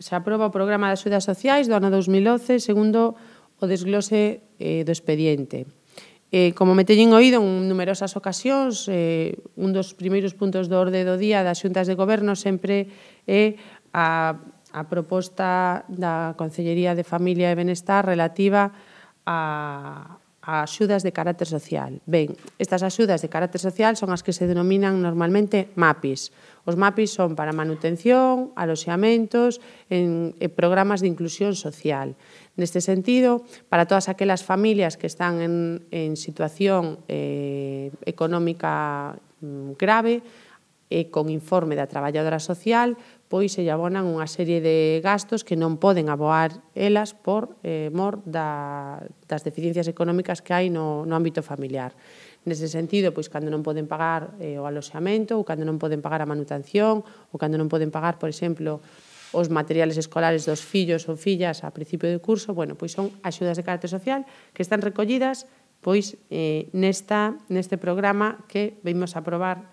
se aproba o Programa de Axudas Sociais do ano 2011 segundo o desglose do expediente. Como me teñen oído en numerosas ocasións, un dos primeiros puntos do orde do día das xuntas de goberno sempre é a proposta da Consellería de Familia e Benestar relativa a axudas de carácter social. Ben, estas axudas de carácter social son as que se denominan normalmente MAPIs. Os MAPIs son para manutención, aloxamentos e programas de inclusión social. Neste sentido, para todas aquelas familias que están en situación económica grave e con informe da traballadora social, pois se lle abonan unha serie de gastos que non poden aboar elas por mor das deficiencias económicas que hai no ámbito familiar. Nese sentido, pois, cando non poden pagar o aloxamento, ou cando non poden pagar a manutención, ou cando non poden pagar, por exemplo, os materiales escolares dos fillos ou fillas a principio de curso, bueno, pois son axudas de carácter social que están recollidas pois neste programa que vimos a aprobar